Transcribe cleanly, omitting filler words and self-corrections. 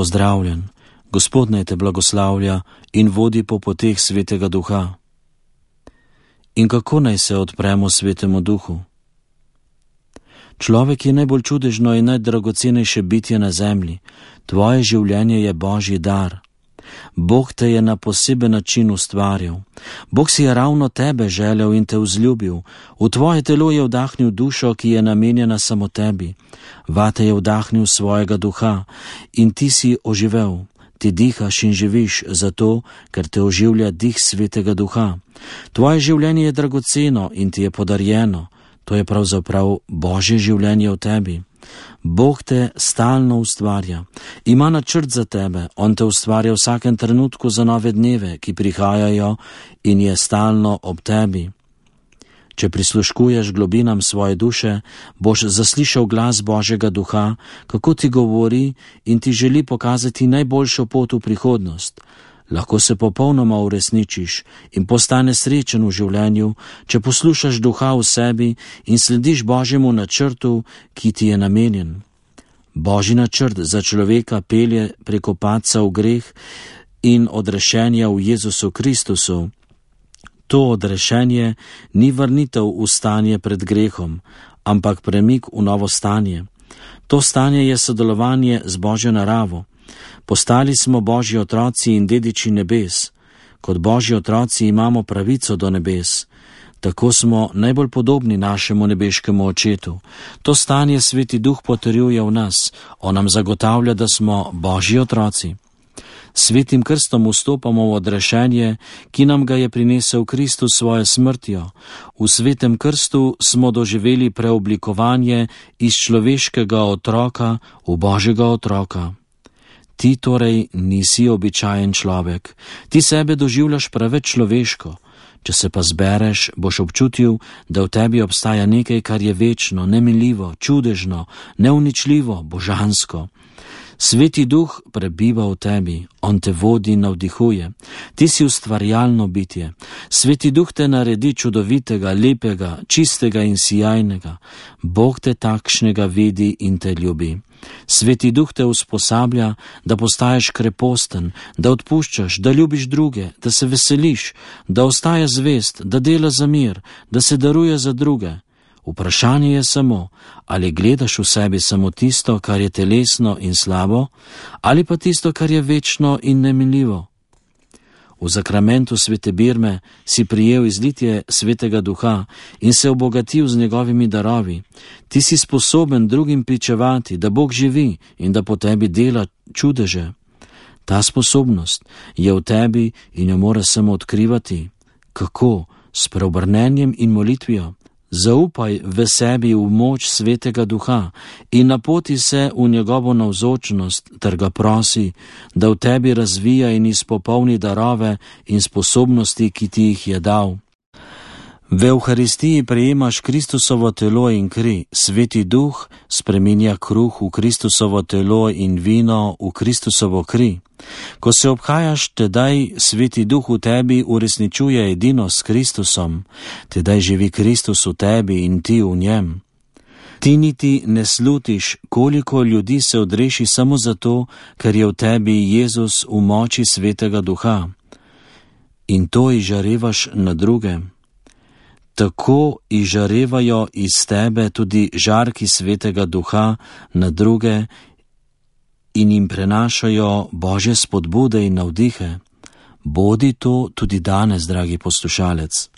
pozdravljen, Gospod naj te blagoslavlja in vodi po poteh Svetega Duha. In kako naj se odpremo Svetemu Duhu? Človek je najbolj čudežno in najdragocenejše bitje na zemlji. Tvoje življenje je Božji dar. Bog te je na poseben način ustvarjal. Bog si je ravno tebe želel in te vzljubil. V tvoje telo je vdahnil dušo, ki je namenjena samo tebi. Vate je vdahnil svojega duha in ti si oživel. Ti dihaš in živiš zato, ker te oživlja dih Svetega Duha. Tvoje življenje je dragoceno in ti je podarjeno. To je pravzaprav Božje življenje v tebi. Bog te stalno ustvarja. Ima načrt za tebe. On te ustvarja v vsakem trenutku za nove dneve, ki prihajajo in je stalno ob tebi. Če prisluškuješ globinam svoje duše, boš zaslišal glas Božjega Duha, kako ti govori in ti želi pokazati najboljšo pot v prihodnost. Lahko se popolnoma uresničiš in postane srečen v življenju, če poslušaš Duha v sebi in slediš Božjemu načrtu, ki ti je namenjen. Božji načrt za človeka pelje preko padca v greh in odrešenja v Jezusu Kristusu. To odrešenje ni vrnitev v stanje pred grehom, ampak premik v novo stanje. To stanje je sodelovanje z Božjo naravo. Postali smo Božji otroci in dediči nebes. Kot Božji otroci imamo pravico do nebes. Tako smo najbolj podobni našemu nebeškemu očetu. To stanje Sveti Duh potrjuje v nas. On nam zagotavlja, da smo Božji otroci. Svetim krstom vstopamo v odrešenje, ki nam ga je prinesel Kristus svojo smrtjo. V svetem krstu smo doživeli preoblikovanje iz človeškega otroka v Božjega otroka. Ti torej nisi običajen človek. Ti sebe doživljaš preveč človeško. Če se pa zbereš, boš občutil, da v tebi obstaja nekaj, kar je večno, neminljivo, čudežno, neuničljivo, božansko. Sveti Duh prebiva v tebi, on te vodi in navdihuje. Ti si ustvarjalno bitje. Sveti Duh te naredi čudovitega, lepega, čistega in sijajnega. Bog te takšnega vidi in te ljubi. Sveti Duh te usposablja, da postaješ kreposten, da odpuščaš, da ljubiš druge, da se veseliš, da ostaja zvest, da dela za mir, da se daruje za druge. Vprašanje je samo, ali gledaš v sebi samo tisto, kar je telesno in slabo, ali pa tisto, kar je večno in neminljivo. V zakramentu svete birme si prijel izlitje Svetega Duha in se obogatil z njegovimi darovi. Ti si sposoben drugim pričevati, da Bog živi in da po tebi dela čudeže. Ta sposobnost je v tebi in jo moraš samo odkrivati. Kako? S preobrnenjem in molitvijo. Zaupaj v sebi v moč Svetega Duha in napoti se v njegovo navzočnost ter ga prosi, da v tebi razvija in izpopolni darove in sposobnosti, ki ti jih je dal. V Evharistiji prejemaš Kristusovo telo in kri. Sveti Duh spreminja kruh v Kristusovo telo in vino v Kristusovo kri. Ko se obhajaš, tedaj Sveti Duh v tebi uresničuje edinost s Kristusom, tedaj živi Kristus v tebi in ti v njem. Ti niti ne slutiš, koliko ljudi se odreši samo zato, ker je v tebi Jezus v moči Svetega Duha. In to izžarevaš na druge. Tako izžarevajo iz tebe tudi žarki Svetega Duha na druge in jim prenašajo Božje spodbude in navdihe. Bodi to tudi danes, dragi poslušalec.